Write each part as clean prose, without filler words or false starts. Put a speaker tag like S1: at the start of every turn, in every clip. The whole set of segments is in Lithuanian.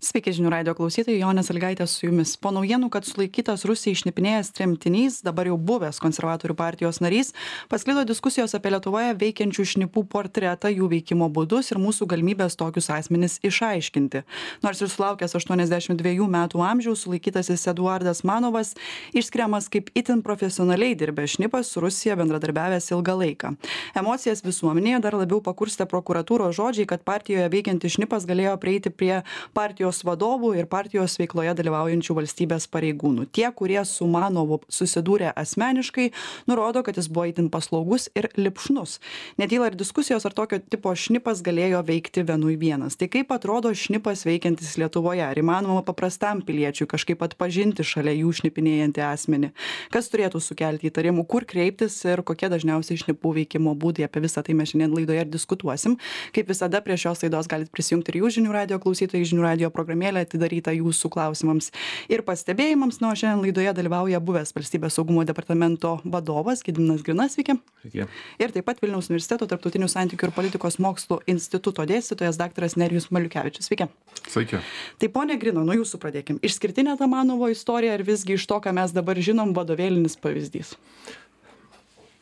S1: Sveiki žinių radio klausytojai, Jonė Sąlygaitė su jumis. Po naujienų, kad sulaikytas Rusijai šnipinėjęs tremtinys, dabar jau buvęs konservatorių partijos narys, pasklido diskusijos apie Lietuvoje veikiančių šnipų portretą, jų veikimo būdus ir mūsų galimybės tokius asmenis išaiškinti. Nors ir sulaukęs 82 metų amžiaus, sulaikytasis Eduardas Manovas išskiriamas kaip itin profesionaliai dirbęs šnipas, su Rusija bendradarbiavęs ilgą laiką. Emocijas visuomenėje dar labiau pakurstė prokuratūros žodžiai, kad partijoje veikiantis šnipas galėjo prieiti prie partijos vadovų ir partijos veikloje dalyvaujančių valstybės pareigūnų. Tie, kurie su Manovu susidūrė asmeniškai, nurodo, kad jis buvo itin paslaugus ir lipšnus. Netyla ir diskusijos, ar tokio tipo šnipas galėjo veikti vienui vienas. Tai kaip atrodo šnipas veikiantis Lietuvoje? Ar įmanoma paprastam piliečiui kažkaip atpažinti šalia jų šnipinėjantį asmenį? Kas turėtų sukelti įtarimų, kur kreiptis ir kokie dažniausiai šnipų veikimo būdai? Apie visą tai mes šiandien laidoje ir diskutuosim. Kaip visada prie šios laidos galite prisijungti ir jūs žinių radio klausytojai, žinių radio programėlė atidaryta jūsų klausimams ir pastebėjimams. Na, o šiandien laidoje dalyvauja buvęs Valstybės saugumo departamento vadovas Gediminas Grinas, sveiki.
S2: Sveiki.
S1: Ir taip pat Vilniaus universiteto tarptautinių santykių ir politikos mokslų instituto dėstytojas daktaras Nerijus Maliukevičius. Sveiki.
S2: Sveiki.
S1: Tai pone Grino, nuo jūsų pradėkim. Išskirtinė ta Manovo istorija ar visgi iš to, ką mes dabar žinom, vadovėlinis pavyzdys?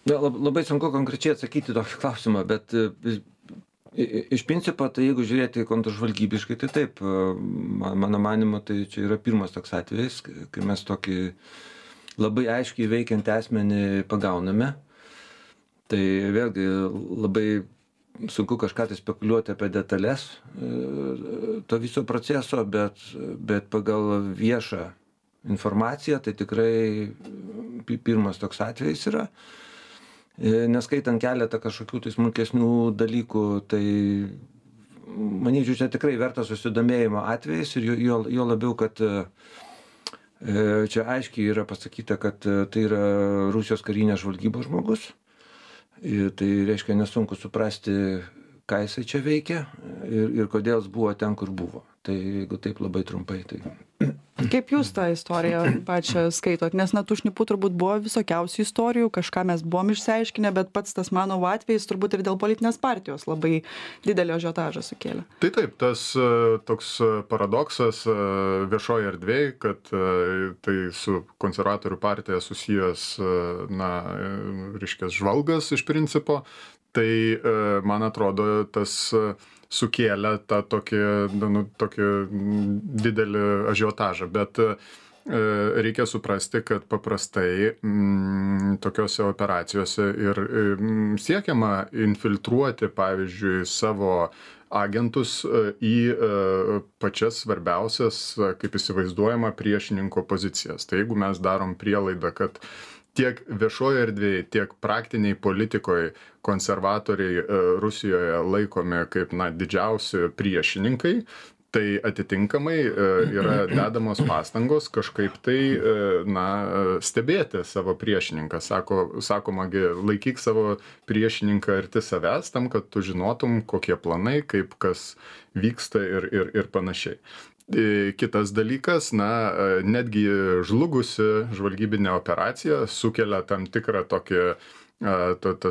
S2: Na, labai sunku konkrečiai atsakyti tokį klausimą, bet iš principo, tai jeigu žiūrėti kontržvalgybiškai, tai taip, mano manimu, tai čia yra pirmas toks atvejis, kai mes tokį labai aiškiai veikiantį asmenį pagauname. Tai vėlgi labai sunku kažką tai spekuliuoti apie detalės to viso proceso, bet pagal viešą informaciją, tai tikrai pirmas toks atvejis yra. Neskaitant keletą kažkokių tai smulkesnių dalykų, tai manyčiau, čia tikrai vertas susidomėjimo atvejis ir jo labiau, kad čia aiškiai yra pasakyta, kad tai yra Rusijos karinės žvalgybos žmogus. Ir tai reiškia nesunku suprasti, ką jisai čia veikia ir kodėl jis buvo ten, kur buvo. Tai jeigu taip labai trumpai, tai...
S1: Kaip jūs tą istoriją pačią skaitot? Nes na tų šnipų turbūt buvo visokiausių istorijų, kažką mes buvom išsiaiškinę, bet pats tas Manovo atvejis turbūt ir dėl politinės partijos labai didelio ažiotažą sukėlė.
S3: Tai taip, tas toks paradoksas viešoje erdvėje, kad tai su konservatorių partija susijęs, reiškia, žvalgas iš principo, tai man atrodo tas sukėlė tą tokį didelį ažiotažą, bet reikia suprasti, kad paprastai tokiose operacijose ir siekiama infiltruoti, pavyzdžiui, savo agentus į pačias svarbiausias, kaip įsivaizduojama, priešininko pozicijas. Tai jeigu mes darom prielaidą, kad tiek viešoje erdvėje, tiek praktiniai politikoje konservatoriai Rusijoje laikomi kaip didžiausi priešininkai, tai atitinkamai yra dedamos pastangos kažkaip tai stebėti savo priešininką. Sakomagi, laikyk savo priešininką arti savęs, tam, kad tu žinotum, kokie planai, kaip kas vyksta ir panašiai. Kitas dalykas, netgi žlugusi žvalgybinė operacija sukelia tam tikrą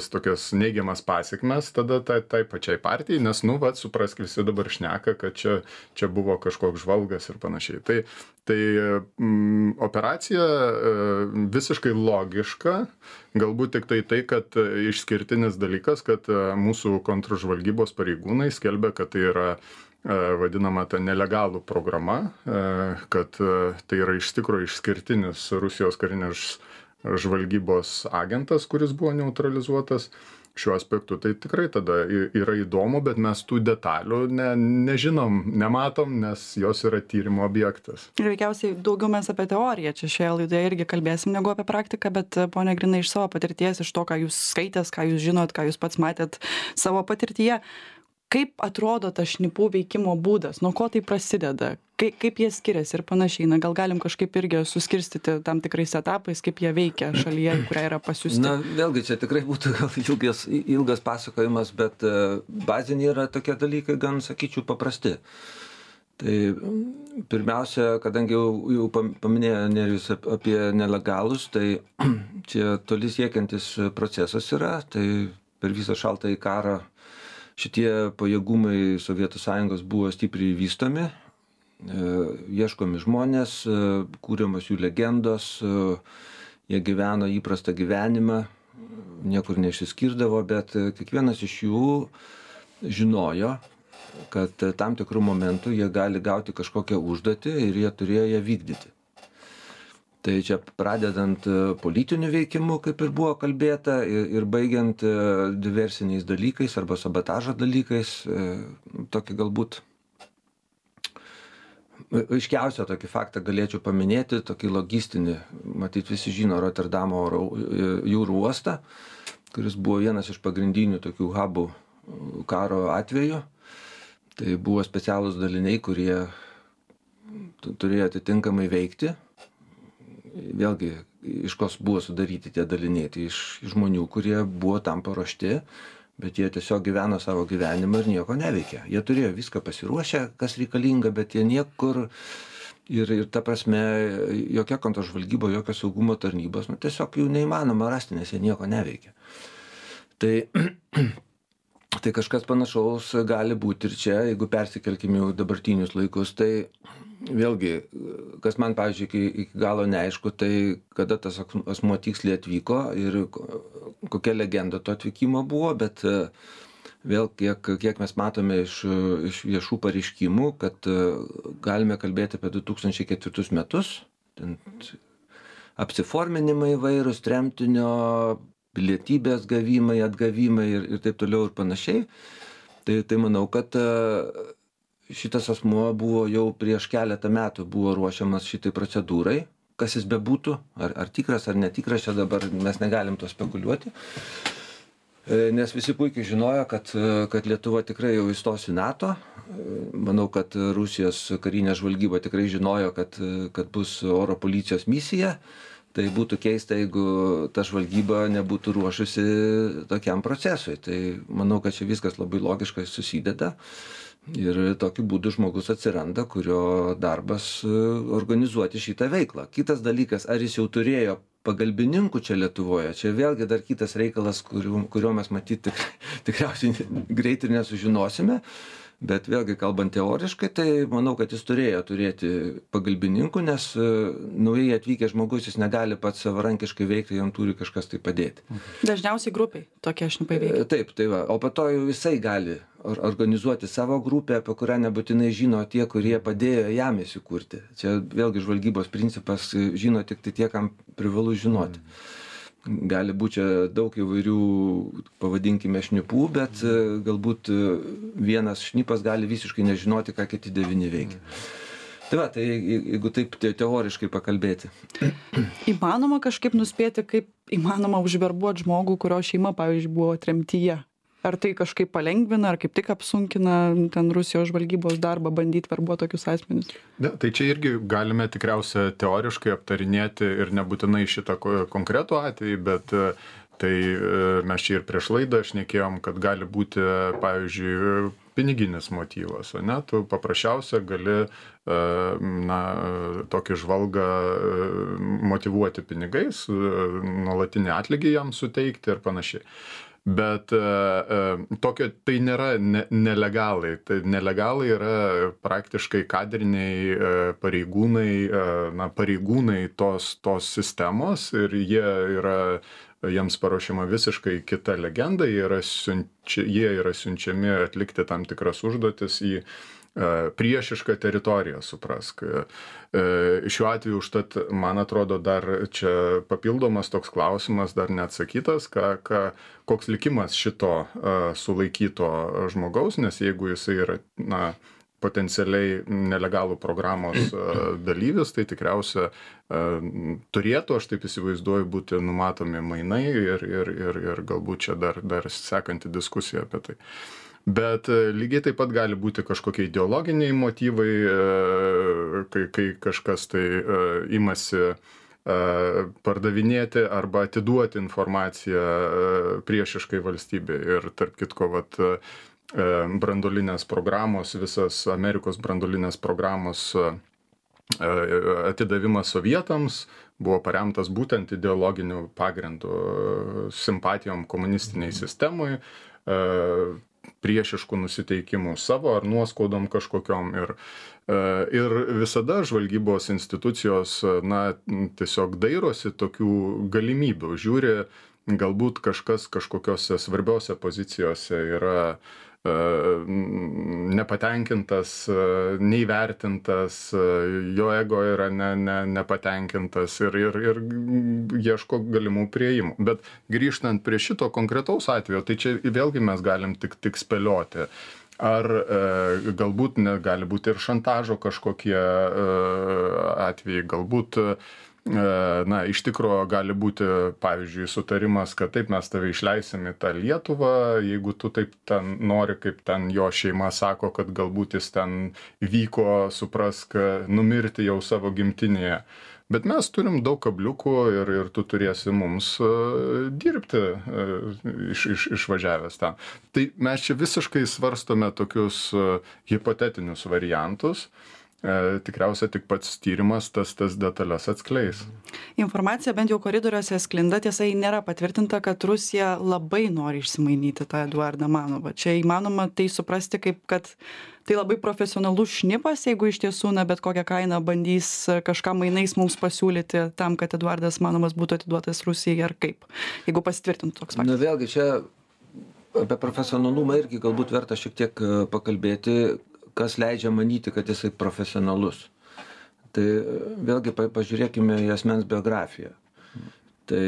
S3: tokias neigiamas pasekmes tada tai pačiai partijai, nes, suprask, visi dabar šneka, kad čia buvo kažkoks žvalgas ir panašiai. Tai operacija visiškai logiška, galbūt tik tai, kad išskirtinis dalykas, kad mūsų kontržvalgybos pareigūnai skelbia, kad tai yra vadinama ta nelegalų programa, kad tai yra iš tikrųjų išskirtinis Rusijos karinės žvalgybos agentas, kuris buvo neutralizuotas. Šiuo aspektu tai tikrai tada yra įdomu, bet mes tų detalių nežinom, nematom, nes jos yra tyrimo objektas.
S1: Ir veikiausiai daugiau mes apie teoriją čia šioje laidoje irgi kalbėsim negu apie praktiką, bet pone Grinai, iš savo patirties, iš to, ką jūs skaitėt, ką jūs žinot, ką jūs pats matėt savo patirtyje, kaip atrodo tas šnipų veikimo būdas, nuo ko tai prasideda, kaip jie skiriasi ir panašiai. Gal galim kažkaip irgi suskirstyti tam tikrais etapais, kaip jie veikia šalyje, kurią yra pasiųsti.
S2: Vėlgi, čia tikrai būtų ilgas pasakojimas, bet baziniai yra tokie dalykai, gan sakyčiau, paprasti. Tai pirmiausia, kadangi jau paminėjo Nerijus apie nelegalus, tai čia toli siekiantis procesas yra, tai per visą šaltąjį karą šitie pajėgumai Sovietų Sąjungos buvo stipriai vystomi. ieškomi žmonės, kūriamos jų legendos, jie gyveno įprastą gyvenimą, niekur neišsiskirdavo, bet kiekvienas iš jų žinojo, kad tam tikrų momentų jie gali gauti kažkokią užduotį ir jie turėjo ją vykdyti. Tai čia pradedant politiniu veikimu, kaip ir buvo kalbėta, ir baigiant diversiniais dalykais arba sabotažo dalykais, tokį galbūt aiškiausią tokį faktą galėčiau paminėti, tokį logistinį, matyt visi žino Rotterdamo jūrų uostą, kuris buvo vienas iš pagrindinių tokių hubų karo atveju. Tai buvo specialūs daliniai, kurie turėjo atitinkamai veikti. Vėlgi, iš kos buvo sudaryti tie daliniai, tai iš žmonių, kurie buvo tam paruošti, bet jie tiesiog gyveno savo gyvenimą ir nieko neveikė. Jie turėjo viską pasiruošę, kas reikalinga, bet jie niekur ir ta prasme, jokia kontržvalgyba, jokio saugumo tarnybos, tiesiog jų neįmanoma rasti, nes jie nieko neveikia. Tai kažkas panašaus gali būti ir čia, jeigu persikelkime jau dabartinius laikus, tai vėlgi, kas man, pavyzdžiui, iki galo neaišku, tai kada tas asmuo tiksliai atvyko ir kokia legenda to atvykimo buvo, bet vėl kiek mes matome iš viešų pareiškimų, kad galime kalbėti apie 2004 metus, apsiforminimai įvairūs, tremtinio, pilietybės gavimai, atgavimai ir taip toliau ir panašiai. Tai manau, kad šitas asmuo buvo jau prieš keletą metų buvo ruošiamas šitai procedūrai, kas jis bebūtų, ar tikras, ar netikras, čia dabar mes negalim to spekuliuoti, nes visi puikiai žinojo, kad Lietuva tikrai jau įstos į NATO. Manau, kad Rusijos karinė žvalgyba tikrai žinojo, kad bus oro policijos misija. Tai būtų keista, jeigu ta žvalgyba nebūtų ruošusi tokiam procesui. Tai manau, kad čia viskas labai logiškai susideda. Ir tokiu būdu žmogus atsiranda, kurio darbas organizuoti šitą veiklą. Kitas dalykas, ar jis jau turėjo pagalbininkų čia Lietuvoje, čia vėlgi dar kitas reikalas, kurio mes matyti tikriausiai greit ir nesužinosime. Bet vėlgi, kalbant teoriškai, tai manau, kad jis turėjo turėti pagalbininkų, nes naujai atvykęs žmogus jis negali pats savarankiškai veikti, jam turi kažkas tai padėti.
S1: Dažniausiai grupiai tokie šnipai veikia.
S2: Taip, tai va. O po to jau jisai gali organizuoti savo grupę, apie kurią nebūtinai žino tie, kurie padėjo jam įsikurti. Čia vėlgi žvalgybos principas žino tik tai tie, kam privalu žinoti. Gali būti čia daug įvairių, pavadinkime, šnipų, bet galbūt vienas šnipas gali visiškai nežinoti, ką kiti 9 veikia. Tai jeigu taip teoriškai pakalbėti.
S1: Įmanoma kažkaip nuspėti, kaip įmanoma užverbuoti žmogų, kurio šeima, pavyzdžiui, buvo tremtyje? Ar tai kažkaip palengvina, ar kaip tik apsunkina ten Rusijos žvalgybos darbą bandyti verbuoti tokius asmenis?
S3: Ne, tai čia irgi galime tikriausia teoriškai aptarinėti ir nebūtinai šitą konkretų atvejį, bet tai mes čia ir prieš laidą šnekėjom, kad gali būti, pavyzdžiui, piniginis motyvas, ne? Tu paprasčiausia gali tokį žvalgą motyvuoti pinigais, nuolatinį atlygį jam suteikti ir panašiai. Bet tai nėra nelegalai. Tai nelegalai yra praktiškai kadriniai pareigūnai tos sistemos ir jiems paruošiama visiškai kita legenda, jie yra siunčiami atlikti tam tikras užduotis į priešišką teritoriją, suprask. Šiuo atveju užtat, man atrodo, dar čia papildomas toks klausimas dar neatsakytas, koks likimas šito sulaikyto žmogaus, nes jeigu jisai yra, potencialiai nelegalų programos dalyvis, tai tikriausia turėtų, aš taip įsivaizduoju, būti numatomi mainai ir galbūt čia dar sekanti diskusija apie tai. Bet lygiai taip pat gali būti kažkokie ideologiniai motyvai, kai kažkas tai imasi pardavinėti arba atiduoti informaciją priešiškai valstybei. Ir tarp kitko, branduolinės programos, visas Amerikos branduolinės programos atidavimas sovietams buvo paremtas būtent ideologiniu pagrindu, simpatijom komunistiniai sistemai. priešiškų nusiteikimų savo ar nuoskaudom kažkokiom. Ir visada žvalgybos institucijos, tiesiog dairosi tokių galimybių. Žiūri, galbūt kažkas kažkokiose svarbiose pozicijose yra nepatenkintas, neįvertintas, jo ego yra nepatenkintas ir ieško galimų priėjimų. Bet grįžtant prie šito konkretaus atvejo, tai čia vėlgi mes galim tik spėlioti. Ar galbūt gali būti ir šantažo kažkokie atvejai, galbūt iš tikro gali būti, pavyzdžiui, sutarimas, kad taip mes tave išleisim į tą Lietuvą, jeigu tu taip ten nori, kaip ten jo šeima sako, kad galbūt jis ten vyko, suprask, numirti jau savo gimtinėje. Bet mes turim daug kabliukų ir tu turėsi mums dirbti išvažiavęs ten. Tai mes čia visiškai svarstome tokius hipotetinius variantus. Tikriausiai tik pats tyrimas tas detalės atskleis.
S1: Informacija bent jau koridoriuose sklinda, tiesa, nėra patvirtinta, kad Rusija labai nori išsimainyti tą Eduardą Manovą. Čia įmanoma tai suprasti kaip, kad tai labai profesionalus šnipas, jeigu iš tiesų, bet kokią kainą bandys kažką mainais mums pasiūlyti tam, kad Eduardas Manovas būtų atiduotas Rusijai ar kaip, jeigu pasitvirtintų toks faktas.
S2: Vėlgi čia apie profesionalumą irgi galbūt verta šiek tiek pakalbėti, kas leidžia manyti, kad jisai profesionalus. Tai vėlgi pažiūrėkime į asmens biografiją. Tai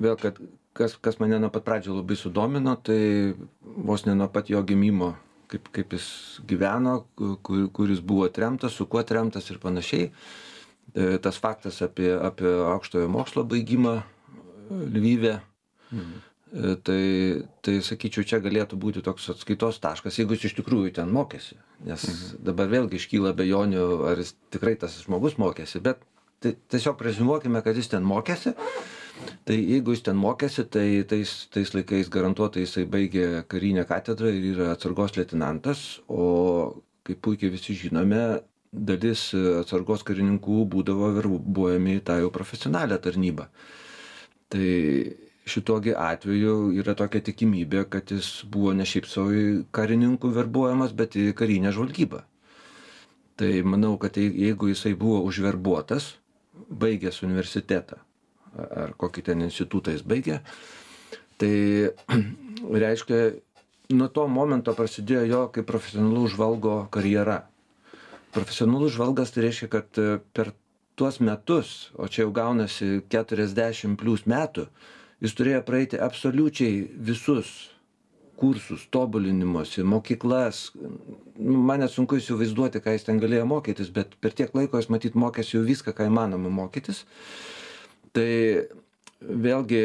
S2: vėl, kad kas mane nuo pat pradžio labai sudomino, tai vos ne nuo pat jo gimimo, kaip jis gyveno, kur jis buvo tremtas, su kuo tremtas ir panašiai. Tas faktas apie aukštojo mokslo baigimą Lvive. Tai sakyčiau, čia galėtų būti toks atskaitos taškas, jeigu jis iš tikrųjų ten mokėsi. Nes dabar vėlgi iškyla abejonių, ar jis tikrai tas žmogus mokėsi, bet tiesiog preziumuokime, kad jis ten mokėsi. Tai jeigu jis ten mokėsi, tai tais laikais garantuotai jisai baigė karinę katedrą ir yra atsargos leitenantas, o kaip puikiai visi žinome, dalis atsargos karininkų būdavo verbuojami į tą jau profesionalią tarnybą. Tai šitogi atveju yra tokia tikimybė, kad jis buvo ne šiaip savo karininkų verbuojamas, bet į karinę žvalgybą. Tai manau, kad jeigu jisai buvo užverbuotas, baigęs universitetą, ar kokį ten institutą jis baigė, tai reiškia, nuo to momento prasidėjo jo kaip profesionalų žvalgo karjera. Profesionalus žvalgas tai reiškia, kad per tuos metus, o čia jau gaunasi 40 plus metų, jis turėjo praeiti absoliučiai visus kursus, tobulinimuose, mokyklas. Man net sunku įsivaizduoti, ką jis ten galėjo mokytis, bet per tiek laiko jis matyt mokėsi jau viską, ką įmanoma mokytis. Tai vėlgi,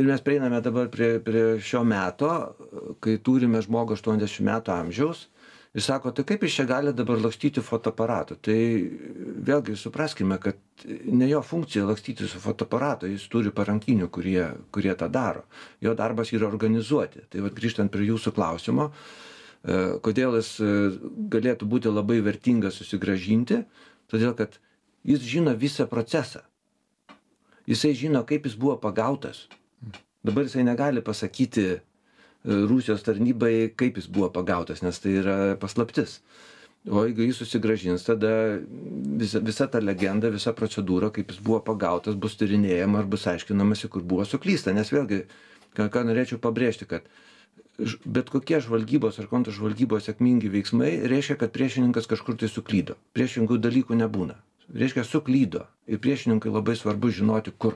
S2: ir mes prieiname dabar prie šio meto, kai turime žmogų 80 metų amžiaus, jis sako, tai kaip jis čia gali dabar lakstyti fotoaparatu? Tai vėlgi supraskime, kad ne jo funkcija lakstyti su fotoaparatu, jis turi parankinių, kurie tą daro. Jo darbas yra organizuoti. Tai grįžtant prie jūsų klausimo, kodėl jis galėtų būti labai vertingas susigrąžinti, todėl kad jis žino visą procesą. Jisai žino, kaip jis buvo pagautas. Dabar jisai negali pasakyti Rusijos tarnybai, kaip jis buvo pagautas, nes tai yra paslaptis. O jeigu jis susigrąžins, tada visa ta legenda, visa procedūra, kaip jis buvo pagautas, bus tyrinėjama ar bus aiškinamasi, kur buvo suklysta. Nes vėlgi, ką norėčiau pabrėžti, kad bet kokie žvalgybos ar kontržvalgybos sėkmingi veiksmai reiškia, kad priešininkas kažkur tai suklydo. Priešingų dalykų nebūna. Reiškia, suklydo. Ir priešininkai labai svarbu žinoti, kur.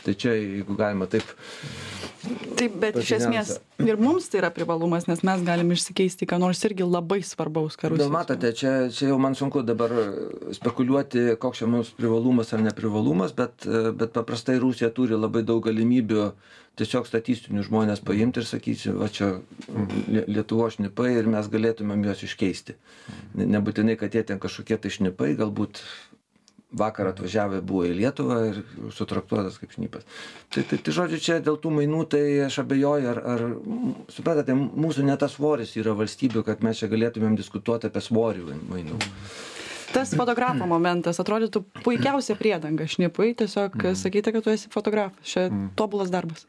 S2: Tai čia, jeigu galima taip...
S1: Taip, bet iš esmės ir mums tai yra privalumas, nes mes galim išsikeisti, ką nors irgi labai svarbaus karus.
S2: Matote, čia jau man sunku dabar spekuliuoti, koks čia mums privalumas ar neprivalumas, bet paprastai Rusija turi labai daug galimybių tiesiog statistinių žmonės paimti ir sakyti, va čia Lietuvos šnipai ir mes galėtumėm juos iškeisti. Nebūtinai, kad jie ten kažkokie tai šnipai, galbūt vakar atvažiavę buvo į Lietuvą ir sutraktuotas kaip šnipas. Tai žodžiu, čia dėl tų mainų, tai aš abejoju, ar supratate, mūsų ne tas svoris yra valstybių, kad mes čia galėtumėm diskutuoti apie svorį mainų.
S1: Tas fotografo momentas atrodytų puikiausia priedanga šnipui, tiesiog sakyti, kad tu esi fotografas. Čia tobulas darbas.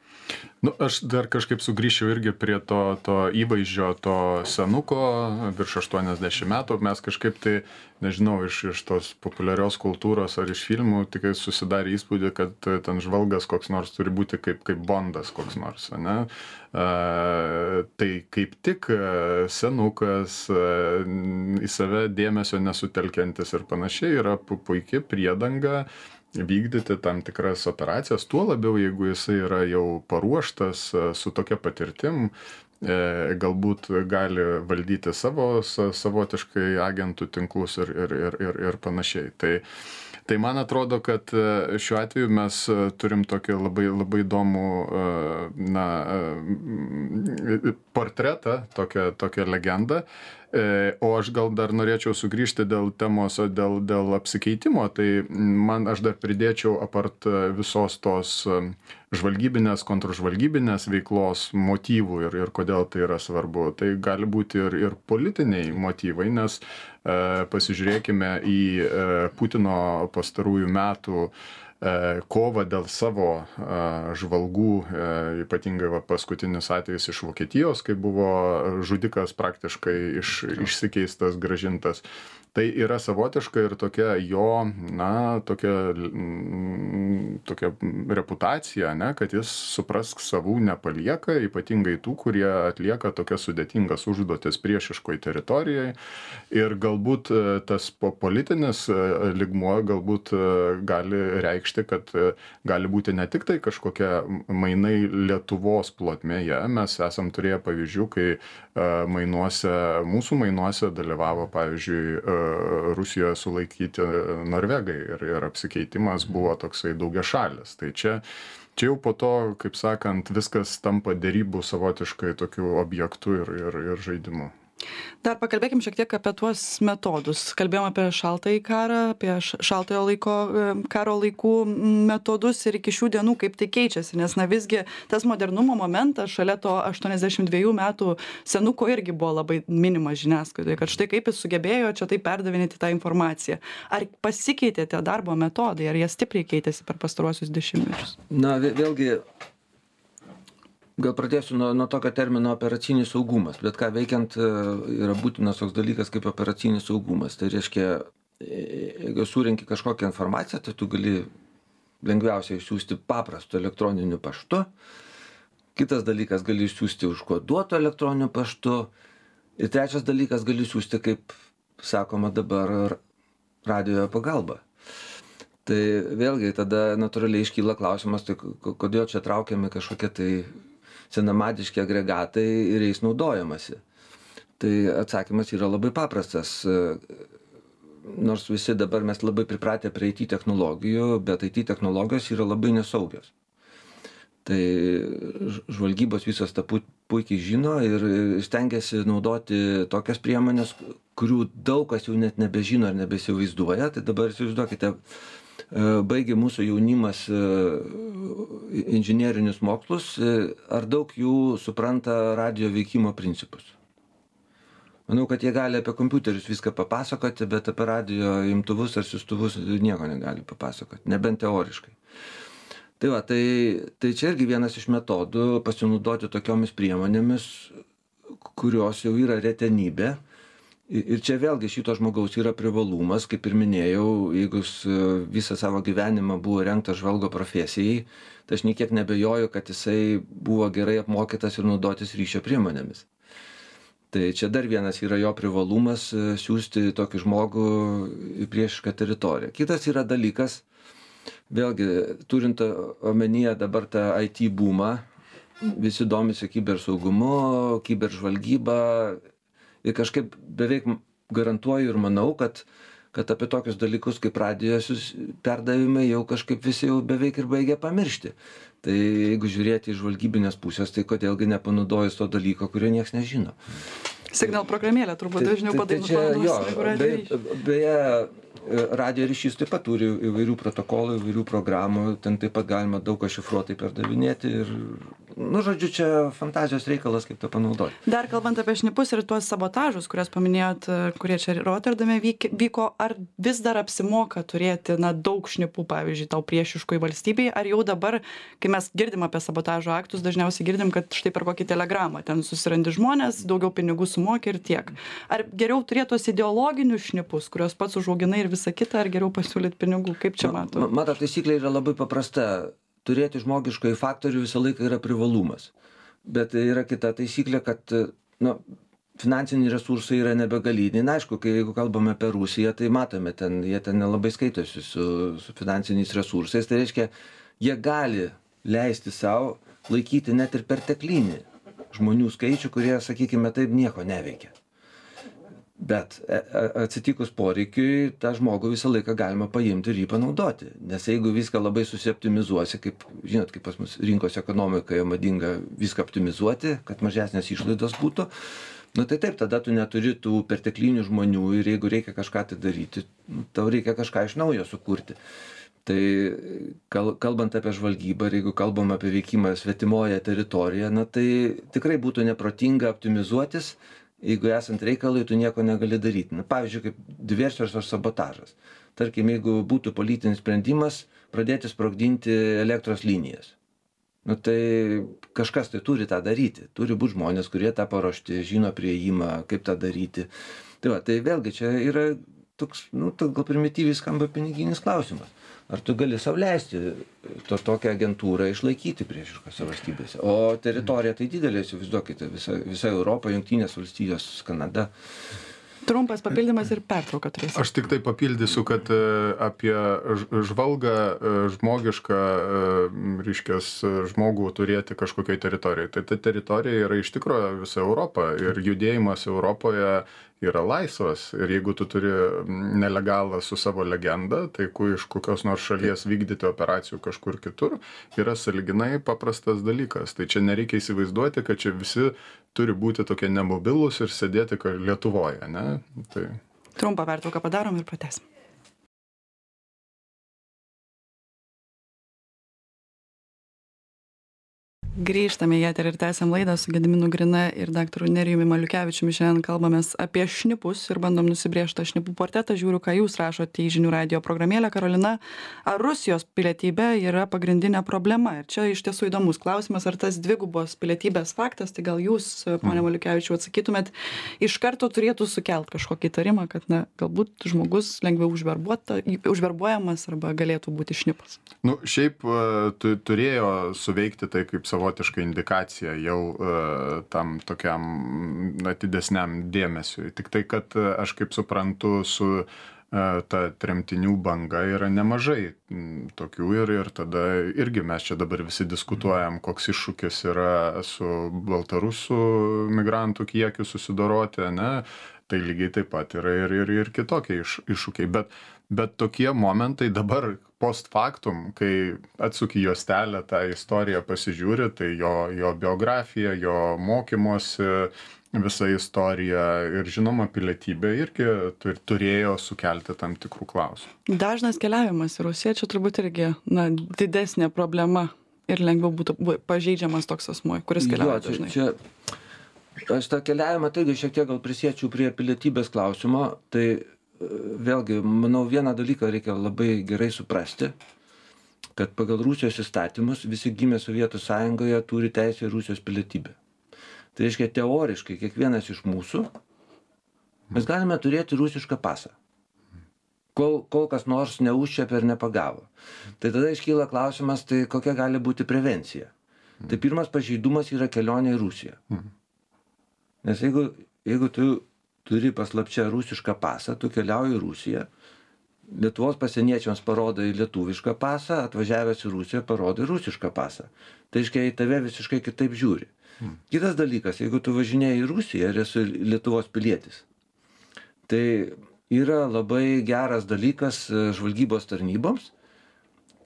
S3: Nu, aš dar kažkaip sugrįšiu irgi prie to įvaizdžio, to senuko virš 80 metų. Mes kažkaip tai, nežinau, iš tos populiarios kultūros ar iš filmų tik susidarė įspūdį, kad ten žvalgas koks nors turi būti kaip Bondas koks nors, ne? Tai kaip tik senukas, į save dėmesio nesutelkiantis ir panašiai yra puikia priedanga vykdyti tam tikras operacijas, tuo labiau, jeigu jisai yra jau paruoštas su tokia patirtim, galbūt gali valdyti savotiškai agentų tinklus ir panašiai. Tai man atrodo, kad šiuo atveju mes turim tokį labai įdomų portretą, tokią legendą. O aš gal dar norėčiau sugrįžti dėl temos, dėl apsikeitimo, tai aš dar pridėčiau apart visos tos žvalgybinės, kontržvalgybinės veiklos motyvų ir kodėl tai yra svarbu. Tai gali būti ir politiniai motyvai, nes pasižiūrėkime į Putino pastarųjų metų kovą dėl savo žvalgų, ypatingai paskutinis atvejis iš Vokietijos, kai buvo žudikas praktiškai išsikeistas, grąžintas. Tai yra savotiška ir tokia jo, tokia reputacija, ne, kad jis suprask savų nepalieka, ypatingai tų, kurie atlieka tokias sudėtingas užduotis priešiškoj teritorijai. Ir galbūt tas politinis lygmuo galbūt gali reikšti, kad gali būti ne tik tai kažkokia mainai Lietuvos plotmėje. Mes esam turėję pavyzdžių, kai mūsų mainuose dalyvavo, pavyzdžiui, Rusijoje sulaikyti norvegai ir apsikeitimas buvo toksai daugiašalis. Tai čia jau po to, kaip sakant, viskas tampa derybų savotiškai tokiu objektu ir žaidimu.
S1: Dar pakalbėkim šiek tiek apie tuos metodus. Kalbėjom apie šaltąjį karą, apie šaltojo karo laikų metodus ir iki šių dienų kaip tai keičiasi, nes visgi tas modernumo momentas šalia to 82 metų senuko irgi buvo labai minimas žiniasklaidoje, kad štai kaip jis sugebėjo čia tai perdavinėti tą informaciją. Ar pasikeitė tie darbo metodai, ar jie stipriai keitėsi per pastaruosius dešimtmečius?
S2: Vėlgi, gal pradėsiu nuo tokio termino operacinis saugumas, bet ką veikiant yra būtinas toks dalykas kaip operacinis saugumas. Tai reiškia, jeigu surenki kažkokią informaciją, tai tu gali lengviausiai išsiųsti paprastu elektroniniu paštu. Kitas dalykas, gali išsiųsti užkoduotu elektroniniu paštu. Ir trečias dalykas, gali išsiųsti, kaip sakoma dabar, radijo pagalba. Tai vėlgi tada natūraliai iškyla klausimas, tai kodėl čia traukiami kažkokie tai senamadiški agregatai ir jais naudojamasi. Tai atsakymas yra labai paprastas. Nors visi dabar mes labai pripratę prie IT technologijų, bet IT technologijos yra labai nesaugios. Tai žvalgybos visos tą puikiai žino ir stengiasi naudoti tokias priemonės, kurių daug kas jau net nebežino ar nebesivaizduoja. Tai dabar įsivaizduokite, baigė mūsų jaunimas inžinerinius mokslus, ar daug jų supranta radijo veikimo principus. Manau, kad jie gali apie kompiuterius viską papasakoti, bet apie radijo imtuvus ar siųstuvus nieko negali papasakoti, nebent teoriškai. Tai va, tai čia irgi vienas iš metodų pasinaudoti tokiomis priemonėmis, kurios jau yra retenybė. Ir čia vėlgi šito žmogaus yra privalumas, kaip ir minėjau, jeigu visą savo gyvenimą buvo rengtas žvalgo profesijai, tai aš niekiek nebejoju, kad jisai buvo gerai apmokytas ir naudotis ryšio priemonėmis. Tai čia dar vienas yra jo privalumas siųsti tokį žmogų į priešišką teritoriją. Kitas yra dalykas, vėlgi turint omenyje dabar tą IT boomą, visi domisi kibersaugumu, kiberžvalgyba. Ir kažkaip beveik garantuoju ir manau, kad apie tokius dalykus kaip radijos perdavimai jau kažkaip visi jau beveik ir baigia pamiršti. Tai jeigu žiūrėti iš žvalgybinės pusės, tai kodėlgi nepanaudojus to dalyko, kurio nieks nežino.
S1: Signal programėlė turbūt dažniau padarytų.
S2: Beje, radijo ryšys taip pat turi įvairių protokolų, įvairių programų, ten taip pat galima daug ką šifruotai perdavinėti ir, nu, žodžiu, čia fantazijos reikalas, kaip to panaudoti.
S1: Dar kalbant apie šnipus ir tuos sabotažus, kuriuos paminėjot, kurie čia Rotterdame vyko, ar vis dar apsimoka turėti, na, daug šnipų, pavyzdžiui, tau priešiškoj valstybei, ar jau dabar, kai mes girdim apie sabotažo aktus, dažniausiai girdim, kad štai per kokį telegramą ten susirandi žmonės, daugiau pinigų sumoki ir tiek. Ar geriau turėti tos ideologinius šnipus, kuriuos pats užauginai ir visa kita, ar geriau pasiūlyti pinigų? Kaip čia matau?
S2: Matot, taisyklė yra labai paprasta. Turėti žmogiškąjį faktorių visą laiką yra privalumas. Bet yra kita taisyklė, kad, nu, finansiniai resursai yra nebegaliniai. Na, aišku, jeigu kalbame apie Rusiją, tai matome, jie ten nelabai skaitosi su finansiniais resursais. Tai reiškia, jie gali leisti savo laikyti net ir perteklinį žmonių skaičių, kurie, sakykime, taip nieko neveikia. Bet atsitikus poreikiui, tą žmogų visą laiką galima paimti ir jį panaudoti. Nes jeigu viską labai susioptimizuosi, kaip, žinot, kaip pas mus rinkos ekonomikoje madinga viską optimizuoti, kad mažesnės išlaidos būtų, nu tai taip, tada tu neturi tų perteklinių žmonių ir jeigu reikia kažką tai daryti, tau reikia kažką iš naujo sukurti. Tai kalbant apie žvalgybą ir jeigu kalbam apie veikimą svetimoje teritorijoje, na tai tikrai būtų neprotinga optimizuotis. Jeigu esant reikalui, tu nieko negali daryti. Na, pavyzdžiui, kaip diversijos ar sabotažas. Tarkim, jeigu būtų politinis sprendimas pradėti sprogdinti elektros linijas. Nu, tai kažkas tai turi tą daryti. Turi būti žmonės, kurie tą paruošti, žino prieimą, kaip tą daryti. Tai va, tai vėlgi čia yra toks, nu, gal primityviai skamba piniginis klausimas. Ar tu gali sau leisti tokią agentūrą išlaikyti priešiškose valstybėse? O teritorija tai didelė, įsivaizduokite, visa Europa, Jungtinės valstijos, Kanada.
S1: Trumpas papildymas ir pertrauka turėsim.
S3: Aš tik tai papildysiu, kad apie žvalgą žmogišką, reiškias, žmogų turėti kažkokiai teritorijai. Tai ta teritorija yra iš tikrųjų visa Europa ir judėjimas Europoje yra laisvas. Ir jeigu tu turi nelegalą su savo legenda, tai iš kokios nors šalies vykdyti operacijų kažkur kitur, yra sąlyginai paprastas dalykas. Tai čia nereikia įsivaizduoti, kad čia visi turi būti tokie nemobilūs ir sėdėti Lietuvoje, ne? Tai...
S1: Trumpą pertrauką padarom ir pratęsim. Grįžtame į eterį ir tęsiam laidą su Gediminu Grina ir daktaru Nerijumi Maliukevičiumi. Šiandien kalbamės apie šnipus ir bandom nusibrėžti šnipų portretą. Žiūriu, ką jūs rašote į žinių radijo programėlę. Karolina, ar Rusijos pilietybė yra pagrindinė problema? Ir čia iš tiesų įdomus klausimas, ar tas dvigubos pilietybės faktas, tai gal jūs, pone Maliukevičiau, atsakytumėt, iš karto turėtų sukelt kažkokį įtarimą, kad, na, galbūt žmogus lengviau užverbuojamas arba galėtų būti šnipas?
S3: Nu, šiaip turėjo suveikti tai kaip savotiška indikacija jau tam tokiam atidesniam dėmesiui. Tik tai, kad aš kaip suprantu, su ta tremtinių banga yra nemažai tokių ir tada irgi mes čia dabar visi diskutuojam, koks iššūkis yra su baltarusų migrantų kiekiu susidoroti, ne? Tai lygiai taip pat yra ir kitokie iššūkiai. Bet tokie momentai dabar post factum, kai atsuki juostelę tą istoriją pasižiūri, tai jo biografija, jo mokymosi, visa istorija ir žinoma pilietybė irgi turėjo sukelti tam tikrų klausimų.
S1: Dažnas keliavimas į Rusiją čia turbūt irgi, na, didesnė problema ir lengviau būtų pažeidžiamas toks asmuo, kuris keliauja dažnai.
S2: Aš tą keliavimą taigi šiek tiek gal prisiečiau prie pilietybės klausimo, tai vėlgi, manau, vieną dalyką reikia labai gerai suprasti, kad pagal Rusijos įstatymus visi gimę Sovietų Sąjungoje turi teisę į Rusijos pilietybę. Tai reiškia, teoriškai kiekvienas iš mūsų mes galime turėti rusišką pasą, kol kas nors neužčiapė ir nepagavo. Tai tada iškyla klausimas, tai kokia gali būti prevencija. Tai pirmas pažeidumas yra kelionė į Rusiją. Nes jeigu tu turi paslapčia rusišką pasą, tu keliauji į Rusiją, Lietuvos pasieniečiams parodai lietuvišką pasą, atvažiavęs į Rusiją parodai rusišką pasą. Tai reiškia, į tave visiškai kitaip žiūri. Kitas dalykas, jeigu tu važinėjai į Rusiją ir esi Lietuvos pilietis, tai yra labai geras dalykas žvalgybos tarnyboms,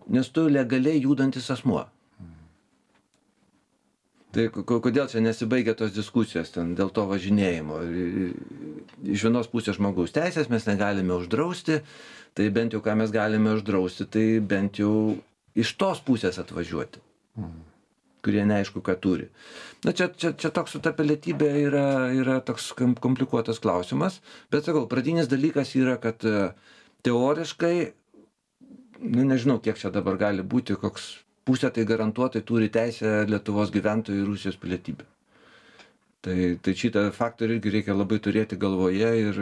S2: nes tu legaliai judantis asmuo. Tai kodėl čia nesibaigia tos diskusijos ten dėl to važinėjimo? Iš vienos pusės žmogaus teisės mes negalime uždrausti, tai bent jau ką mes galime uždrausti, tai bent jau iš tos pusės atvažiuoti, kurie neaišku, ką turi. Na, čia toks su ta pilietybė yra toks komplikuotas klausimas, bet sakau, pradinis dalykas yra, kad teoriškai, nu, nežinau, kiek čia dabar gali būti, koks pusė tai garantuotai turi teisę Lietuvos gyventojų į Rusijos pilietybę. Tai šitą faktorių irgi reikia labai turėti galvoje ir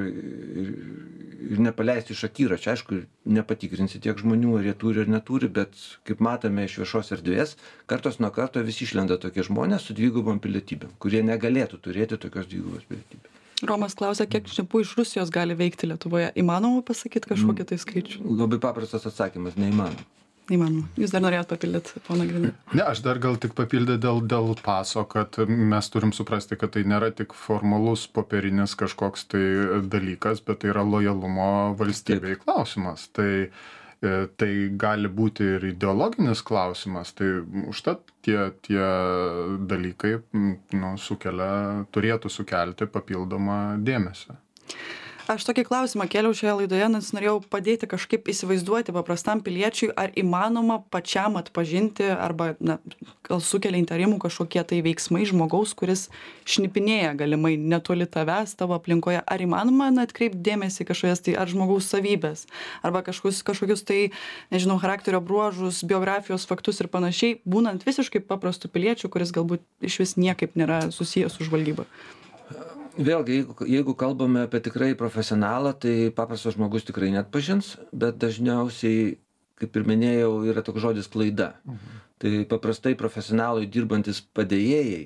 S2: nepaleisti iš akiračio. Aišku, nepatikrinsi tiek žmonių, ar jie turi ar neturi, bet kaip matome iš viešos erdvės, kartos nuo karto vis išlenda tokie žmonės su dvigubom pilietybėm, kurie negalėtų turėti tokios dvigubos pilietybės.
S1: Romas klausia, kiek šnipų iš Rusijos gali veikti Lietuvoje. Įmanoma pasakyti kažkokį tai skaičių?
S2: Labai paprastas atsakymas, neįmanoma.
S1: Neįmanoma. Jūs dar norėjot papildyti, poną Grina?
S3: Ne, aš dar gal tik papildė dėl paso, kad mes turim suprasti, kad tai nėra tik formalus popierinis kažkoks tai dalykas, bet tai yra lojalumo valstybei klausimas. Tai gali būti ir ideologinis klausimas, tai užtat tie dalykai turėtų sukelti papildomą dėmesį.
S1: Aš tokį klausimą kėliau šioje laidoje, nes norėjau padėti kažkaip įsivaizduoti paprastam piliečiui, ar įmanoma pačiam atpažinti arba, gal sukelia įtarimų kažkokie tai veiksmai žmogaus, kuris šnipinėja galimai netoli tavęs, tavo aplinkoje. Ar įmanoma atkreipti dėmesį kažkokias tai ar žmogaus savybės, arba kažkokius tai, nežinau, charakterio bruožus, biografijos faktus ir panašiai, būnant visiškai paprastu piliečiu, kuris galbūt iš vis niekaip nėra susijęs su žvalgyba.
S2: Vėlgi, jeigu kalbame apie tikrai profesionalą, tai paprastas žmogus tikrai neatpažins, bet dažniausiai, kaip ir minėjau, yra toks žodis klaida. Tai paprastai profesionalai dirbantis padėjėjai,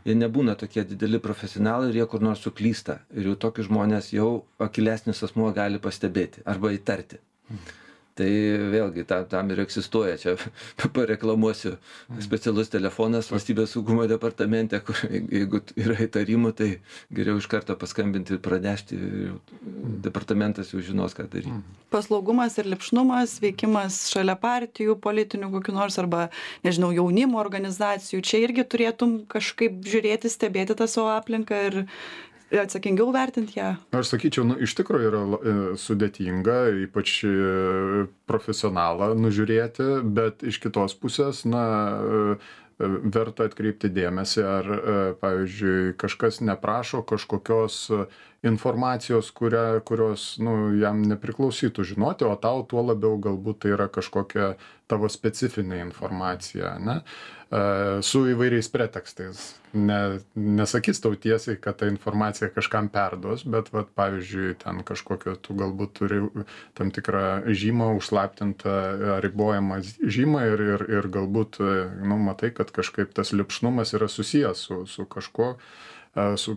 S2: jie nebūna tokie dideli profesionalai ir jie kur nors suklysta. Ir jau tokius žmonės jau akylesnis asmuo gali pastebėti arba įtarti. Tai vėlgi, tam ir egzistuoja, čia pareklamuosiu, specialus telefonas valstybės saugumo departamente, kur jeigu yra įtarimų, tai geriau iš karto paskambinti ir pranešti, departamentas jau žinos, ką daryti.
S1: Paslaugumas ir lipšnumas, veikimas šalia partijų, politinių kokių nors arba, nežinau, jaunimo organizacijų, čia irgi turėtum kažkaip žiūrėti, stebėti tą savo aplinką ir atsakingiau vertinti ją?
S3: Aš sakyčiau, iš tikrųjų yra sudėtinga, ypač profesionalą nužiūrėti, bet iš kitos pusės, verta atkreipti dėmesį, ar, pavyzdžiui, kažkas neprašo kažkokios informacijos, kurios jam nepriklausytų žinoti, o tau tuo labiau galbūt tai yra kažkokia tavo specifinė informacija, ne? Su įvairiais pretekstais. Nesakys tau tiesiai, kad ta informacija kažkam perduos, bet, pavyzdžiui, ten kažkokio tu galbūt turi tam tikrą žymą, užslaptintą, ribojamą žymą ir galbūt, matai, kad kažkaip tas lipšnumas yra susijęs su kažkuo, su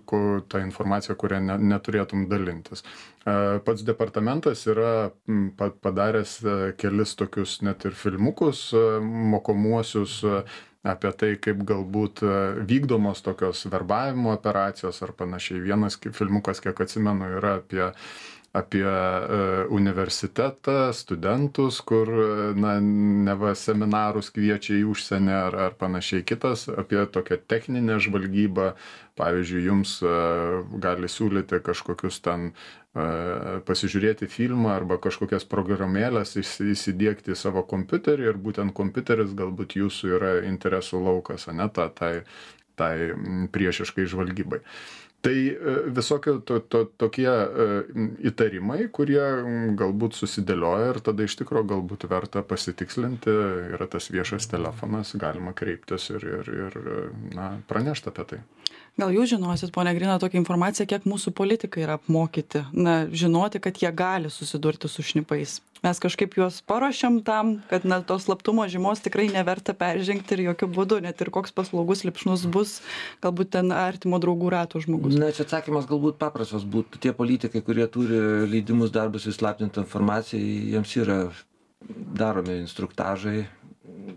S3: ta informacija, kurią neturėtum dalintis. Pats departamentas yra padaręs kelis tokius net ir filmukus mokomuosius apie tai, kaip galbūt vykdomos tokios verbavimo operacijos ar panašiai. Vienas filmukas, kiek atsimenu, yra apie universitetą, studentus, kur neva seminarus kviečia į užsienį ar panašiai. Kitas apie tokią techninę žvalgybą. Pavyzdžiui, jums gali siūlyti kažkokius ten pasižiūrėti filmą arba kažkokias programėlės įsidiegti į savo kompiuterį ir būtent kompiuteris galbūt jūsų yra interesų laukas, ne, tai priešiškai žvalgybai. Tai visokie tokie įtarimai, kurie galbūt susidėlioja ir tada iš tikrųjų galbūt verta pasitikslinti, yra tas viešas telefonas, galima kreiptis ir pranešti apie tai.
S1: Gal jūs žinosit, ponia Grina, tokią informaciją, kiek mūsų politikai yra apmokyti, žinoti, kad jie gali susidurti su šnipais. Mes kažkaip juos paruošiam tam, kad tos slaptumo žymos tikrai neverta peržengti ir jokių būdų, net ir koks paslaugus lipšnus bus, galbūt ten artimo draugų rato žmogus.
S2: Na, čia atsakymas galbūt paprastas būtų. Tie politikai, kurie turi leidimus darbus įslaptintą informaciją, jiems yra daromi instruktažai,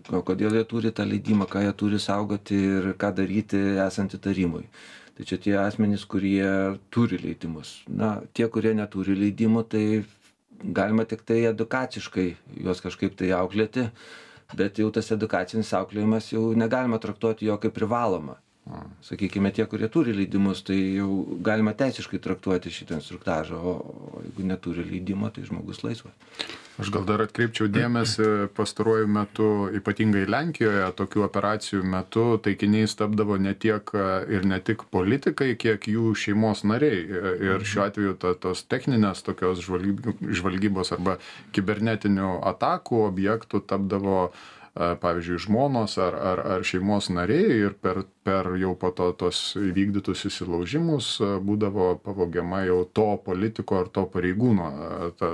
S2: kodėl jie turi tą leidimą, ką jie turi saugoti ir ką daryti esant įtarimui. Tai čia tie asmenys, kurie turi leidimus. Na, tie, kurie neturi leidimų, tai galima tik tai edukaciškai juos kažkaip tai auklėti, bet jau tas edukacinis auklėjimas jau negalima traktuoti jo kaip privaloma. Sakykime, tie, kurie turi leidimus, tai jau galima teisiškai traktuoti šitą instruktažą, o jeigu neturi leidimo, tai žmogus laisvas.
S3: Aš gal dar atkreipčiau dėmesį, pastaruoju metu, ypatingai Lenkijoje, tokių operacijų metu taikiniais tapdavo ne tiek ir ne tik politikai, kiek jų šeimos nariai. Ir šiuo atveju tos techninės tokios žvalgybos arba kibernetinių atakų objektų tapdavo pavyzdžiui, žmonos ar šeimos nariai ir per jau po to tos įvykdytus įsilaužimus būdavo pavogiama jau to politiko ar to pareigūno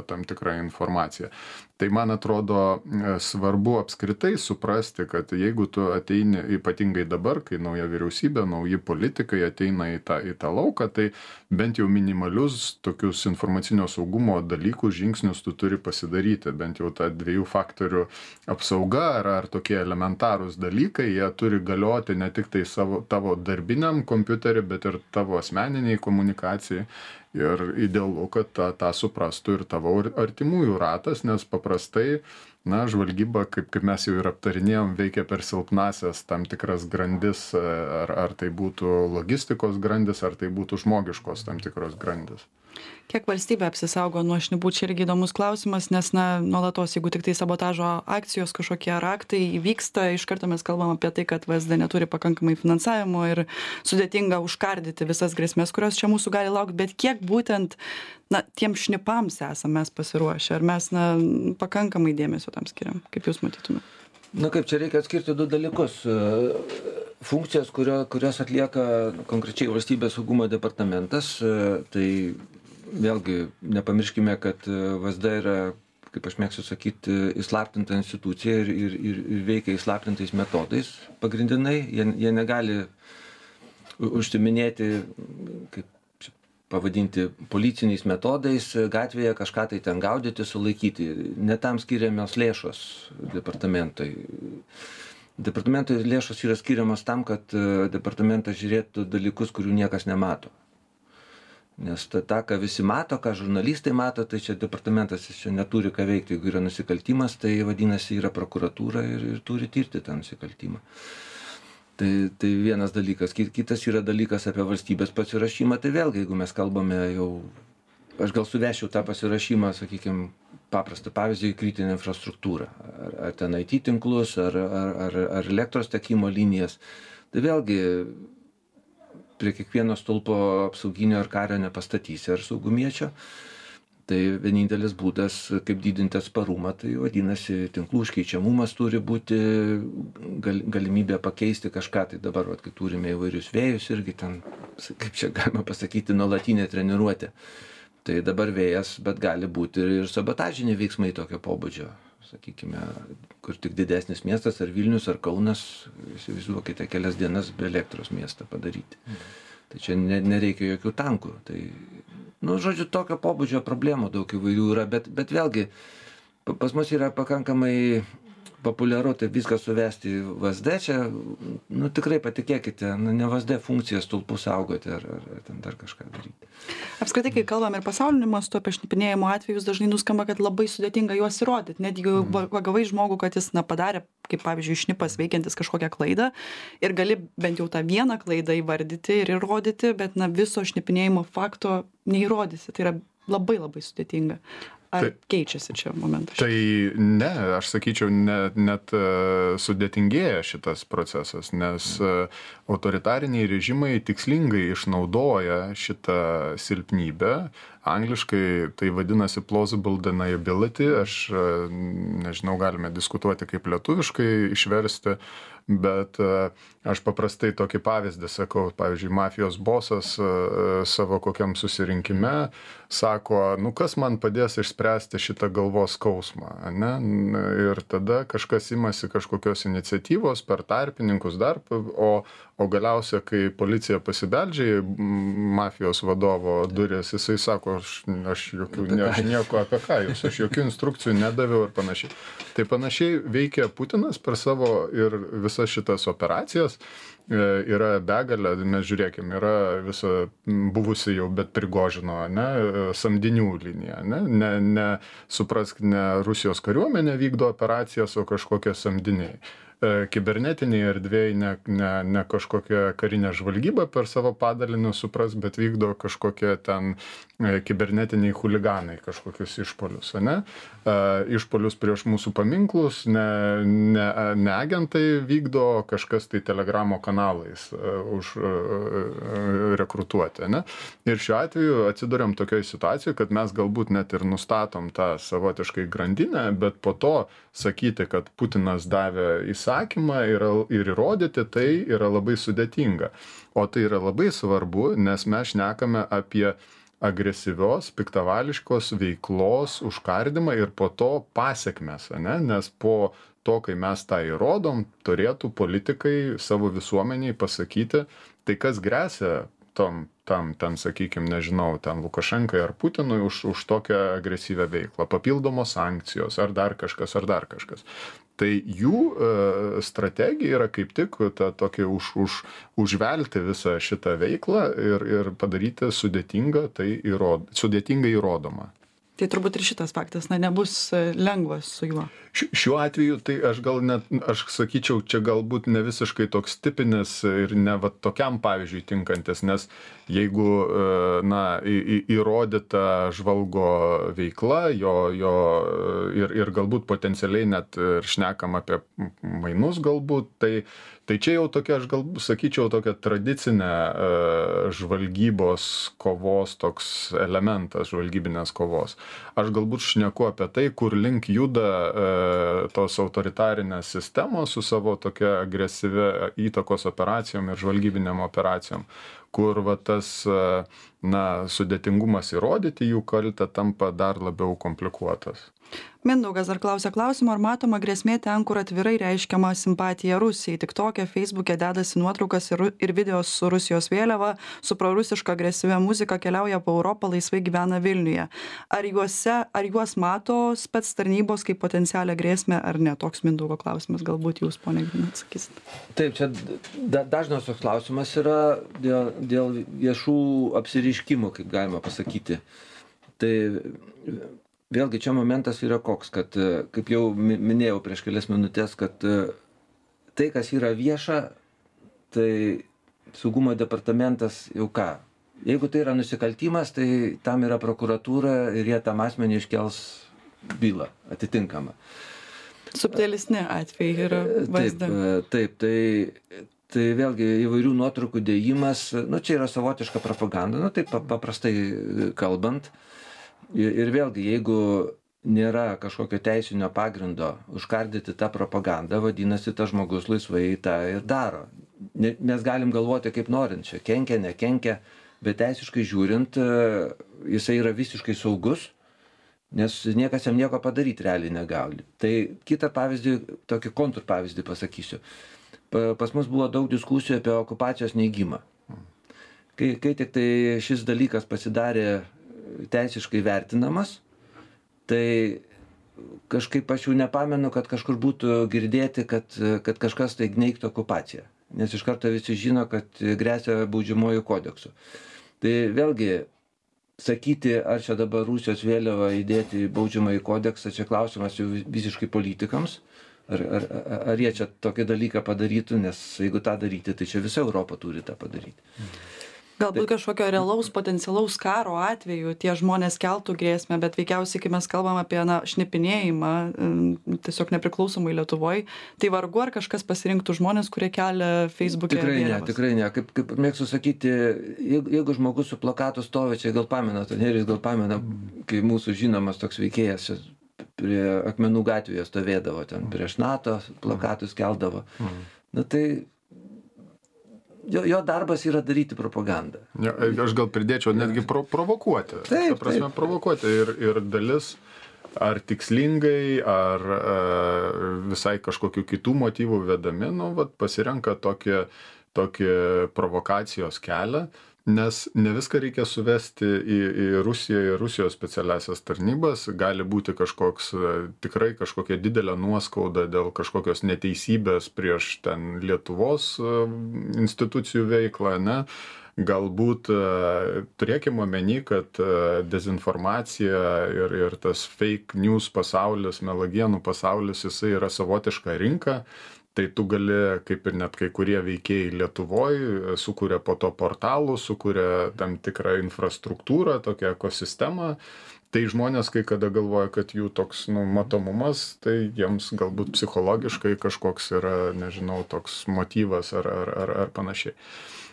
S3: tam tikra informacija. Tai man atrodo svarbu apskritai suprasti, kad jeigu tu ateini, ypatingai dabar, kai nauja vyriausybė, nauji politikai ateina į tą lauką, tai bent jau minimalius tokius informacinio saugumo dalykus, žingsnius tu turi pasidaryti. Bent jau ta 2 faktorių apsauga ar tokie elementarūs dalykai, jie turi galioti ne tik tai tavo darbiniam kompiuteriui, bet ir tavo asmeniniai komunikacijai. Ir idealu, kad tą suprastų ir tavo artimųjų ratas, nes paprastai, žvalgyba, kaip mes jau ir aptarinėjom, veikia per silpnasias tam tikras grandis, ar tai būtų logistikos grandis, ar tai būtų žmogiškos tam tikros grandis.
S1: Kiek valstybė apsisaugo nuo šnipų, čia irgi įdomus klausimas, nes nuolatos, jeigu tik tai sabotažo akcijos kažkokie raktai įvyksta, iš karto mes kalbam apie tai, kad VSD neturi pakankamai finansavimo ir sudėtinga užkardyti visas grėsmės, kurios čia mūsų gali laukti, bet kiek būtent tiem šnipams esame mes pasiruošę, ar mes pakankamai dėmesio tam skiriam, kaip jūs matytumėte?
S2: Kaip čia reikia atskirti 2 dalykus. Funkcijas, kurias atlieka konkrečiai valstybės saugumo departamentas, tai vėlgi nepamirškime, kad VSD yra, kaip aš mėgstu sakyti, įslaptinta institucija ir veikia įslaptintais metodais pagrindinai. Jie negali užsiminėti, kaip pavadinti, policiniais metodais gatvėje kažką tai ten gaudyti, sulaikyti. Ne tam skiriamos lėšos departamentui. Departamentui lėšos yra skiriamos tam, kad departamentas žiūrėtų dalykus, kurių niekas nemato. Nes tą, ką visi mato, ką žurnalistai mato, tai čia departamentas čia neturi ką veikti. Jeigu yra nusikaltimas, tai vadinasi yra prokuratūra ir turi tirti tą nusikaltimą. Tai vienas dalykas. Kitas yra dalykas apie valstybės pasirašymą. Tai vėlgi, jeigu mes kalbame jau, aš gal suvešiu tą pasirašymą, sakykime, paprastą pavyzdį, kritinę infrastruktūrą. Ar ten IT tinklus, ar elektros tiekimo linijas. Tai vėlgi, prie kiekvieno stulpo apsauginio ar kario nepastatysi ar saugumiečio. Tai vienintelis būdas, kaip didinti atsparumą, tai vadinasi, tinklų užkeičiamumas turi būti, galimybė pakeisti kažką. Tai dabar, kai turime įvairius vėjus irgi ten, kaip čia galima pasakyti, nuolatinė treniruotė. Tai dabar vėjas, bet gali būti ir sabotažiniai veiksmai tokio pobūdžio. Sakykime, kur tik didesnis miestas, ar Vilnius, ar Kaunas, įsivaizduokite, kelias dienas be elektros miestą padaryti. Tai čia nereikia jokių tankų. Tai žodžiu, tokio pobūdžio problemų daug įvairių yra, bet vėlgi pas mus yra pakankamai populiaru tai viską suvesti į VSD, čia, tikrai patikėkite, ne VSD funkcija stulpų saugoti ar ten dar kažką daryti.
S1: Apskritai, kai kalbam ir pasauliniu mastu apie šnipinėjimo atvejus, dažnai nuskamba, kad labai sudėtinga juos įrodyti. Net jeigu pagavai žmogų, kad jis padarė, kaip pavyzdžiui, šnipas veikiantis kažkokią klaidą ir gali bent jau tą vieną klaidą įvardyti ir įrodyti, bet viso šnipinėjimo fakto neįrodysi. Tai yra labai labai sudėtinga. Ar keičiasi čia momentas?
S3: Tai ne, aš sakyčiau, net sudėtingėja šitas procesas, nes autoritariniai režimai tikslingai išnaudoja šitą silpnybę. Angliškai tai vadinasi plausible deniability, aš nežinau, galime diskutuoti kaip lietuviškai išversti, bet aš paprastai tokį pavyzdį sakau, pavyzdžiui, mafijos bosas savo kokiam susirinkime sako, kas man padės išspręsti šitą galvos skausmą, ne? Ir tada kažkas imasi kažkokios iniciatyvos per tarpininkus dar, o galiausia, kai policija pasibeldžia į mafijos vadovo duris, jisai sako, sako, aš nieko apie ką jūs, aš jokių instrukcijų nedaviau ir panašiai. Tai panašiai veikia Putinas per savo ir visas šitas operacijas. Yra begalė, mes žiūrėkime, yra visa buvusi jau, bet Prigožino, ne, samdinių linija, ne, suprask, ne Rusijos kariuomenė vykdo operacijas, o kažkokie samdiniai. Kibernetiniai erdvėjai, ne kažkokia karinė žvalgyba per savo padalinius supras, bet vykdo kažkokie ten kibernetiniai chuliganai kažkokius išpolius, ne? Išpolius prieš mūsų paminklus, ne agentai vykdo, kažkas tai telegramo kanalais rekrutuoti, ne? Ir šiuo atveju atsiduriam tokioje situacijoje, kad mes galbūt net ir nustatom tą savotiškai grandinę, bet po to sakyti, kad Putinas davė įsakymą ir įrodyti, tai yra labai sudėtinga. O tai yra labai svarbu, nes mes šnekame apie agresyvios, piktavališkos veiklos užkardymą ir po to pasekmes, ne? Nes po to, kai mes tą įrodom, turėtų politikai savo visuomeniai pasakyti, tai kas gresia tam, ten, sakykime, nežinau, ten Lukašenkai ar Putinui už tokią agresyvią veiklą, papildomos sankcijos ar dar kažkas. Tai jų strategija yra kaip tik tokia užvelti visą šitą veiklą ir padaryti sudėtingai įrodomą.
S1: Tai turbūt ir šitas faktas, nebus lengvas su juo.
S3: Šiuo atveju, tai aš sakyčiau, čia galbūt ne visiškai toks tipinis ir ne va tokiam pavyzdžiui tinkantis, nes jeigu, įrodyta žvalgo veikla, ir galbūt potencialiai net ir šnekam apie mainus galbūt, tai čia jau tokia, aš galbūt sakyčiau, tokia tradicinė žvalgybos kovos toks elementas, žvalgybinės kovos. Aš galbūt šneku apie tai, kur link juda tos autoritarinės sistemos su savo tokia agresyvia įtakos operacijom ir žvalgybinėm operacijom, kur va tas sudėtingumas įrodyti jų kaltę tampa dar labiau komplikuotas.
S1: Mindaugas dar klausia klausimo, ar matoma grėsmė ten, kur atvirai reiškiama simpatija Rusijai. TikTok'e, Facebook'e dedasi nuotraukas ir video su Rusijos vėliava, su prorusiška agresyvia muzika, keliauja po Europą, laisvai gyvena Vilniuje. Ar juos mato spec tarnybos kaip potencialią grėsmę ar ne? Toks Mindaugo klausimas, galbūt jūs, ponia Grina, atsakysit.
S2: Taip, čia dažnas toks klausimas yra dėl viešų apsireiškimų, kaip galima pasakyti. Tai vėlgi čia momentas yra koks, kad, kaip jau minėjau prieš kelias minutės, kad tai, kas yra vieša, tai saugumo departamentas jau ką. Jeigu tai yra nusikaltimas, tai tam yra prokuratūra ir jie tam asmenį iškels bylą atitinkamą.
S1: Subtilisni atvejai yra vaizdami.
S2: Taip, tai vėlgi įvairių nuotraukų dėjimas, čia yra savotiška propaganda, taip paprastai kalbant. Ir vėlgi, jeigu nėra kažkokio teisinio pagrindo užkardyti tą propagandą, vadinasi, tas žmogus laisvai tą ir daro. Mes galim galvoti kaip norint, čia kenkia, nekenkia, bet teisiškai žiūrint, jisai yra visiškai saugus, nes niekas jam nieko padaryti realiai negali. Tai kitą pavyzdį, tokį kontrpavyzdį pasakysiu. Pas mus buvo daug diskusijų apie okupacijos neigimą. Kai tik tai šis dalykas pasidarė teisiškai vertinamas, tai kažkaip aš jau nepamenu, kad kažkur būtų girdėti, kad kažkas tai neigtų okupaciją. Nes iš karto visi žino, kad gresia baudžiamuoju kodeksu. Tai vėlgi, sakyti, ar čia dabar Rusijos vėliavą įdėti į baudžiamąjį kodeksą, čia klausimas jau visiškai politikams. Ar jie čia tokį dalyką padarytų, nes jeigu tą daryti, tai čia visa Europa turi tą padaryti.
S1: Galbūt kažkokio realaus potencialaus karo atveju tie žmonės keltų grėsmę, bet veikiausiai, kai mes kalbam apie šnipinėjimą, tiesiog nepriklausomai Lietuvoje, tai vargu ar kažkas pasirinktų žmonės, kurie kelia Facebook'e vėliavas.
S2: Tikrai ne. Kaip mėgstu sakyti, jeigu žmogus su plakatu stovi, čia gal pamena, Nerijus gal pamena, kai mūsų žinomas toks veikėjas prie Akmenų gatvėje stovėdavo, ten prieš NATO plakatus keldavo. Tai jo darbas yra daryti propagandą.
S3: Aš gal pridėčiau netgi provokuoti.
S2: Taip.
S3: Provokuoti ir dalis ar tikslingai, ar visai kažkokių kitų motyvų vedami, pasirenka tokį provokacijos kelią, Nes ne viską reikia suvesti į Rusiją ir Rusijos specialiasias tarnybas. Gali būti tikrai kažkokia didelė nuoskauda dėl kažkokios neteisybės prieš ten Lietuvos institucijų veiklą, ne? Galbūt turėkime omeny, kad dezinformacija ir tas fake news pasaulis, melagienų pasaulis, jisai yra savotiška rinka. Tai tu gali, kaip ir net kai kurie veikėjai Lietuvoje, sukuria po to portalų, sukuria tam tikrą infrastruktūrą, tokią ekosistemą. Tai žmonės, kai kada galvoja, kad jų toks matomumas, tai jiems galbūt psichologiškai kažkoks yra, nežinau, toks motyvas ar panašiai.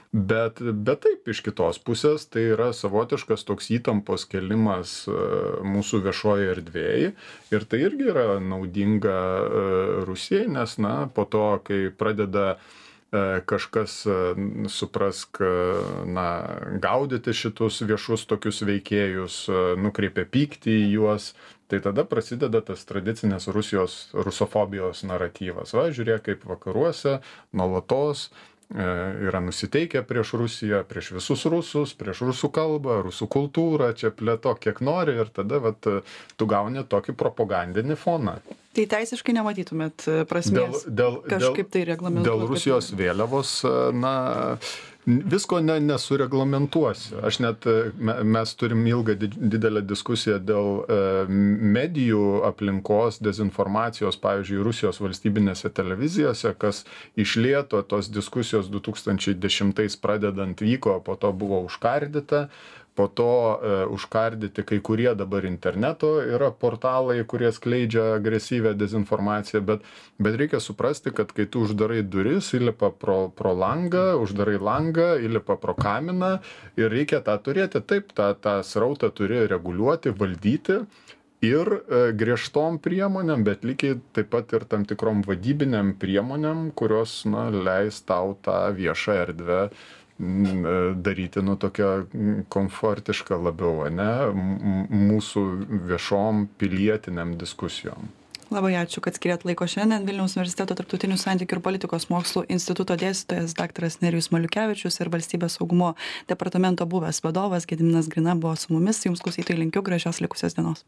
S3: Bet taip, iš kitos pusės, tai yra savotiškas toks įtampos kelimas mūsų viešoje erdvėje ir tai irgi yra naudinga Rusijai, nes, po to, kai pradeda kažkas, suprask, gaudyti šitus viešus tokius veikėjus, nukreipia pyktį į juos, tai tada prasideda tas tradicinės rusofobijos naratyvas. Va, žiūrėk, kaip vakaruose nuolatos yra nusiteikę prieš Rusiją, prieš visus rusus, prieš rusų kalbą, rusų kultūrą, čia plėtok kiek nori ir tada tu gauni tokį propagandinį foną.
S1: Tai teisiškai nematytumėt prasmės kažkaip tai reglamentuoti?
S3: Dėl Rusijos vėliavos, visko nesureglamentuosi. Mes turim ilgą didelę diskusiją dėl medijų aplinkos, dezinformacijos, pavyzdžiui, Rusijos valstybinėse televizijose, kas iš lėto tos diskusijos 2010 pradedant vyko, po to buvo užkardyta. Po to užkardyti kai kurie dabar interneto yra portalai, kurie skleidžia agresyvę dezinformaciją, bet reikia suprasti, kad kai tu uždarai duris, įlipa pro langą, uždarai langą, įlipa pro kaminą ir reikia tą turėti. Taip, tą srautą turi reguliuoti, valdyti ir griežtom priemonėm, bet lygiai taip pat ir tam tikrom vadybiniam priemonėm, kurios leis tau tą viešą erdvę daryti tokią komfortišką labiau, mūsų viešom pilietiniam diskusijom.
S1: Labai ačiū, kad skiriat laiko šiandien. Vilniaus universiteto tarptautinių santykių ir politikos mokslų instituto dėstytojas daktaras Nerijus Maliukevičius ir valstybės saugumo departamento buvęs vadovas Gediminas Grina buvo su mumis. Jums, klausytojai, linkiu gražios likusios dienos.